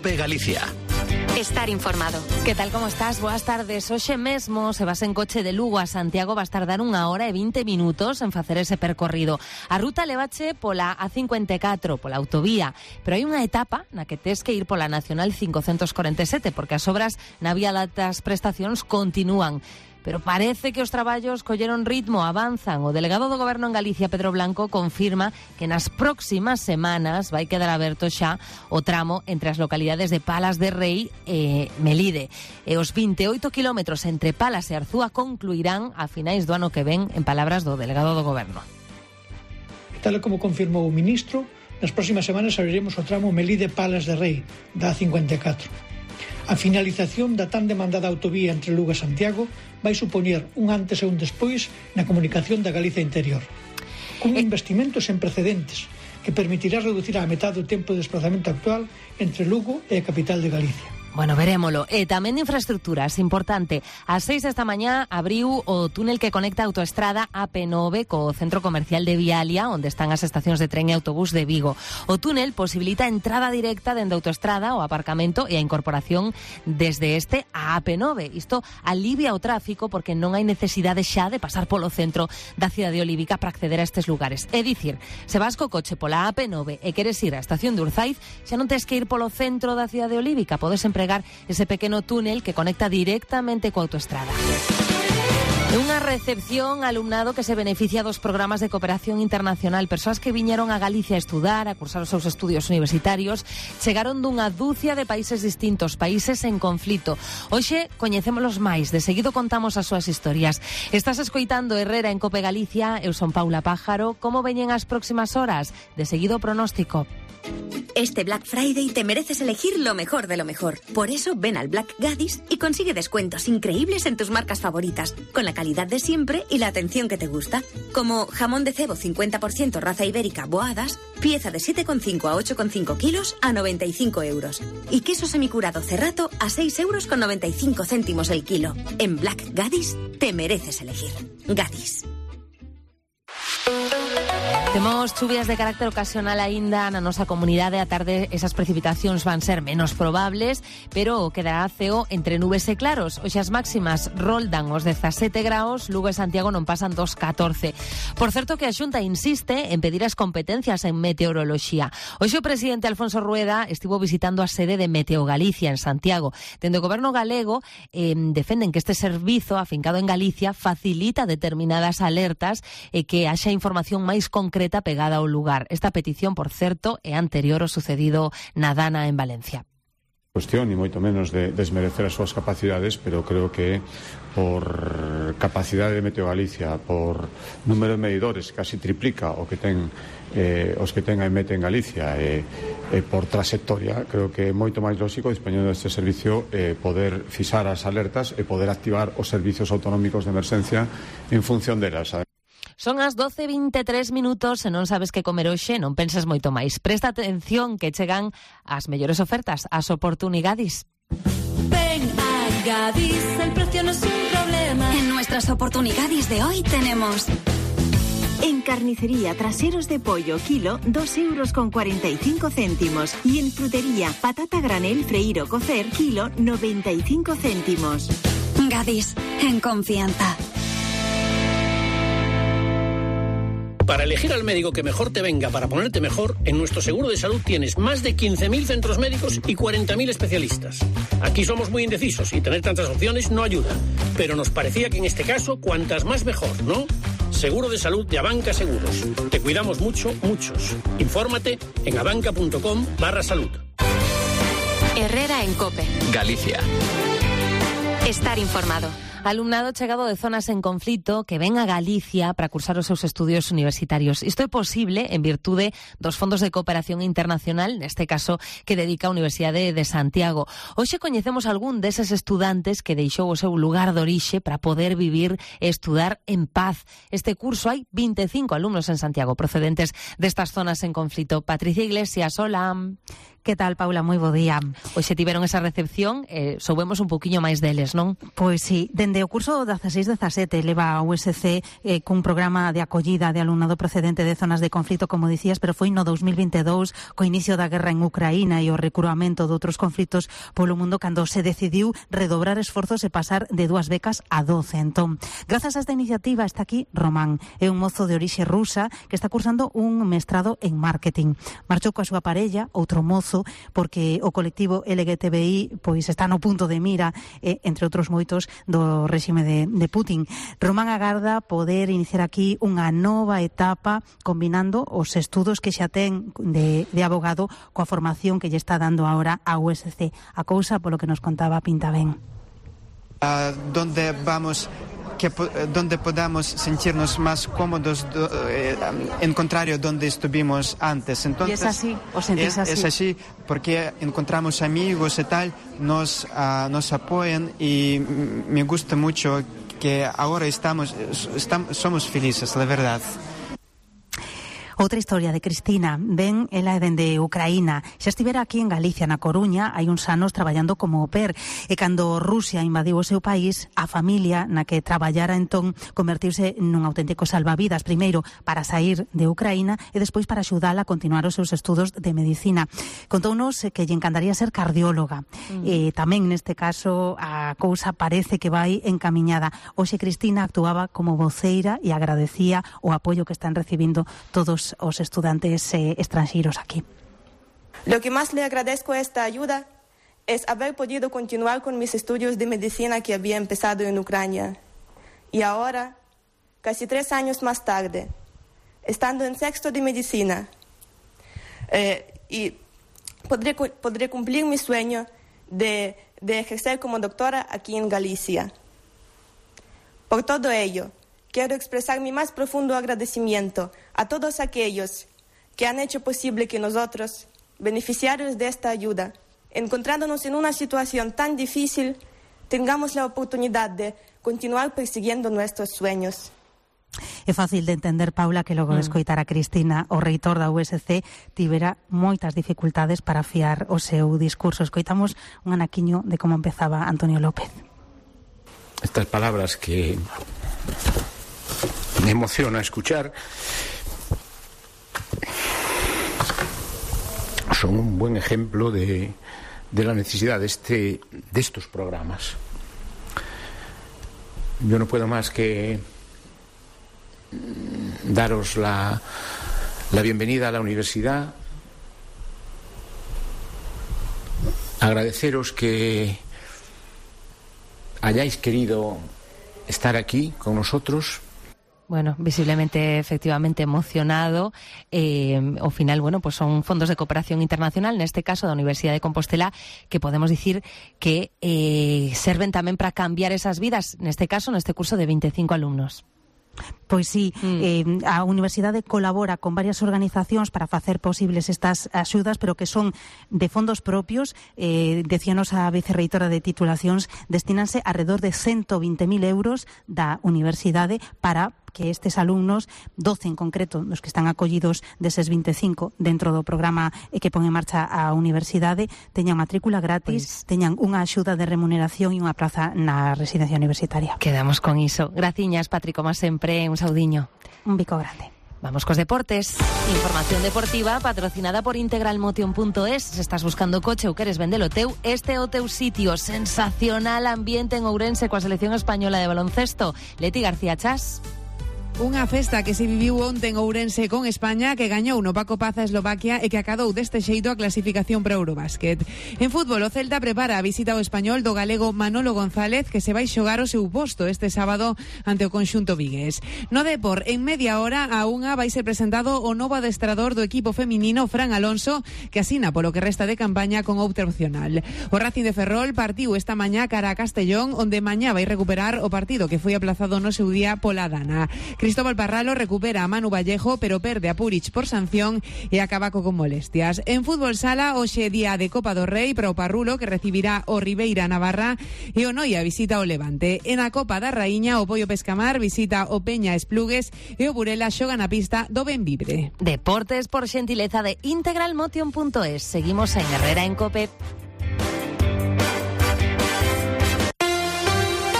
COPE Galicia. Estar informado. Que tal, como estás? Boas tardes. Hoxe mesmo, se vas en coche de Lugo a Santiago, vas tardar 1 hora e 20 minutos en facer ese percorrido. A ruta levache pola A54, pola autovía, pero hai unha etapa na que tes que ir pola Nacional 547, porque as obras na vía das prestacións continúan. Pero parece que os traballos colleron ritmo, avanzan. O delegado do Goberno en Galicia, Pedro Blanco, confirma que nas próximas semanas vai quedar aberto xa o tramo entre as localidades de Palas de Rei e Melide. E os 28 kilómetros entre Palas e Arzúa concluirán a finais do ano que ven, en palabras do delegado do Goberno. Tal como confirmou o ministro, nas próximas semanas abriremos o tramo Melide-Palas de Rei da A54. A finalización da tan demandada autovía entre Lugo e Santiago vai supoñer un antes e un despois na comunicación da Galicia interior. Un investimento sen precedentes que permitirá reducir á metade o tempo de desplazamento actual entre Lugo e a capital de Galicia. Bueno, verémolo. E tamén de infraestructuras, importante. Ás 6 esta mañá abriu o túnel que conecta a autoestrada AP9 co centro comercial de Vialia, onde están as estacións de tren e autobús de Vigo. O túnel posibilita a entrada directa dende a autoestrada, o aparcamento e a incorporación desde este a AP9. Isto alivia o tráfico porque non hai necesidade xa de pasar polo centro da cidade olívica para acceder a estes lugares. É dicir, se vas co coche pola AP9 e queres ir á estación de Urzaiz, xa non tes que ir polo centro da cidade olívica, podes empregar ese pequeno túnel que conecta directamente coa autoestrada. Unha recepción alumnado que se beneficia dos programas de cooperación internacional. Persoas que viñeron a Galicia a estudar, a cursar os seus estudios universitarios, chegaron dunha dúcia de países distintos, países en conflito. Hoxe coñecémolos máis, de seguido contamos as súas historias. Estás escoitando Herrera en COPE Galicia, eu son Paula Pájaro. Como veñen as próximas horas? De seguido pronóstico. Este Black Friday te mereces elegir lo mejor de lo mejor. Por eso ven al Black Gadis y consigue descuentos increíbles en tus marcas favoritas, con la calidad de siempre y la atención que te gusta. Como jamón de cebo 50% raza ibérica Boadas, pieza de 7,5 a 8,5 kilos a 95 euros. Y queso semicurado Cerrato a 6,95 euros el kilo. En Black Gadis te mereces elegir. Gadis. Temos chuvias de carácter ocasional aínda na nosa comunidade. A tarde esas precipitacións van ser menos probables, pero quedará ceo entre nubes e claros. Hoxe as máximas roldan os 17 graus, Lugo e Santiago non pasan dos 14. Por certo que a Xunta insiste en pedir as competencias en meteoroloxía. Hoxe o presidente Alfonso Rueda estivo visitando a sede de Meteo Galicia en Santiago. Dende o goberno galego defenden que este servizo afincado en Galicia facilita determinadas alertas e que haxa información máis concreta pegada ao lugar. Esta petición, por certo, é anterior ao sucedido na Dana en Valencia. Cuestión, ni moito menos de desmerecer as súas capacidades, pero creo que por capacidade de Meteo Galicia, por número de medidores, casi triplica o que ten os que ten a EMET en Galicia, e por trayectoria, creo que é moito máis lógico, dispoñendo deste servicio, poder fixar as alertas e poder activar os servicios autonómicos de emerxencia en función delas. Son as 12:23 minutos, se non sabes que comer hoxe, non penses moito máis. Presta atención que chegan as mellores ofertas, as oportunidades. Ven a Gadis, el precio no es un problema. En nuestras oportunidades de hoy tenemos... En carnicería, traseros de pollo, kilo, 2,45 euros. Y en frutería, patata granel, freír o cocer, kilo, 95 céntimos. Gadis, en confianza. Para elegir al médico que mejor te venga para ponerte mejor, en nuestro seguro de salud tienes más de 15.000 centros médicos y 40.000 especialistas. Aquí somos muy indecisos y tener tantas opciones no ayuda. Pero nos parecía que en este caso, cuantas más mejor, ¿no? Seguro de salud de Abanca Seguros. Te cuidamos mucho, muchos. Infórmate en abanca.com/salud. Herrera en COPE. Galicia. Estar informado. Alumnado chegado de zonas en conflito que ven a Galicia para cursar os seus estudios universitarios. Isto é posible en virtude dos fondos de cooperación internacional, neste caso que dedica a Universidade de Santiago. Hoxe coñecemos algún deses estudantes que deixou o seu lugar de orixe para poder vivir e estudar en paz. Este curso hai 25 alumnos en Santiago procedentes destas zonas en conflito. Patricia Iglesias, hola. Que tal, Paula? Moi bo día. Hoxe tiveron esa recepción, soubemos un poquinho máis deles, non? Pois sí, de Dende o curso 16-17 leva a USC cun programa de acollida de alumnado procedente de zonas de conflito, como dicías, pero foi no 2022, co inicio da guerra en Ucraína e o recruamento de outros conflitos polo mundo, cando se decidiu redobrar esforzos e pasar de 2 becas a 12. Entón, grazas a esta iniciativa está aquí Román, é un mozo de orixe rusa que está cursando un mestrado en marketing. Marchou coa súa parella, outro mozo, porque o colectivo LGTBI pois está no punto de mira, entre outros moitos, do réxime de Putin. Román agarda poder iniciar aquí unha nova etapa combinando os estudos que xa ten de abogado coa formación que lle está dando ahora a USC. A cousa, polo que nos contaba, pinta ben. Donde podamos sentirnos más cómodos, en contrario donde estuvimos antes. Entonces, ¿y es así? ¿Os sentís así? Es así porque encontramos amigos y tal, nos apoyan, y me gusta mucho que ahora somos felices, la verdad. Outra historia de Cristina. Ben, ela é dende Ucraína. Xa estivera aquí en Galicia, na Coruña, hai uns anos traballando como au pair. E cando Rusia invadiu o seu país, a familia na que traballara entón convertiuse nun auténtico salvavidas, primeiro para sair de Ucraína e despois para axudala a continuar os seus estudos de medicina. Contounos que lle encantaría ser cardióloga. E tamén neste caso a cousa parece que vai encamiñada. Hoxe Cristina actuaba como voceira e agradecía o apoio que están recibindo todos os estudantes extranjeros aquí. Lo que más le agradezco a esta ayuda es haber podido continuar con mis estudios de medicina que había empezado en Ucrania. Y ahora, casi 3 años más tarde, estando en 6º de medicina, y podré cumplir mi sueño de ejercer como doctora aquí en Galicia. Por todo ello, quiero expresar mi más profundo agradecimiento a todos aquellos que han hecho posible que nosotros, beneficiarios de esta ayuda, encontrándonos en una situación tan difícil, tengamos la oportunidad de continuar persiguiendo nuestros sueños. É fácil de entender, Paula, que logo de escoitar a Cristina, o reitor da USC tivera moitas dificultades para afiar o seu discurso. Escoitamos un anaquiño de como empezaba Antonio López. Estas palabras que me emociona escuchar son un buen ejemplo de la necesidad de estos programas. Yo no puedo más que daros la bienvenida a la universidad, agradeceros que hayáis querido estar aquí con nosotros. Bueno, visiblemente, efectivamente, emocionado. Ao final, bueno, pues son fondos de cooperación internacional, neste caso da Universidade de Compostela, que podemos dicir que serven tamén para cambiar esas vidas, neste caso, neste curso de 25 alumnos. Pois sí, a Universidade colabora con varias organizacións para facer posibles estas axudas, pero que son de fondos propios. Decíanos a vicerreitora de titulacións, destínanse alrededor de 120.000 euros da universidade para que estes alumnos, 12 en concreto, os que están acollidos deses 25 dentro do programa que pon en marcha a universidade, teñan matrícula gratis, teñan unha axuda de remuneración e unha plaza na residencia universitaria. Quedamos con iso. Graciñas, Patri, como sempre, un saudiño. Un bico grande. Vamos cos deportes. Información deportiva patrocinada por integralmotion.es. Se estás buscando coche ou queres vendelo teu, este é o teu sitio. Sensacional ambiente en Ourense coa selección española de baloncesto. Leti García Chas. Unha festa que se viviu onte en Ourense con España, que gañou no Paco Paz a Eslovaquia e que acadou deste xeito a clasificación para Eurobásquet. En fútbol, o Celta prepara a visita ao Español do galego Manolo González, que se vai xogar o seu posto este sábado ante o conxunto vigués. No Depor, en media hora a unha vai ser presentado o novo adestrador do equipo feminino, Fran Alonso, que asina polo que resta de campaña con outra opcional. O Racing de Ferrol partiu esta mañá cara a Castellón, onde mañá vai recuperar o partido que foi aplazado no seu día pola Dana. Cristóbal Parralo recupera a Manu Vallejo, pero perde a Puric por sanción e acaba con molestias. En fútbol sala, hoxe día de Copa do Rei para o Parrulo, que recibirá o Ribeira Navarra, e o Noia visita o Levante. En a Copa da Raíña, o Pollo Pescamar visita o Peña Esplugues e o Burela xoga na pista do Benvibre. Deportes por xentileza de integralmotion.es. Seguimos en Herrera en COPE.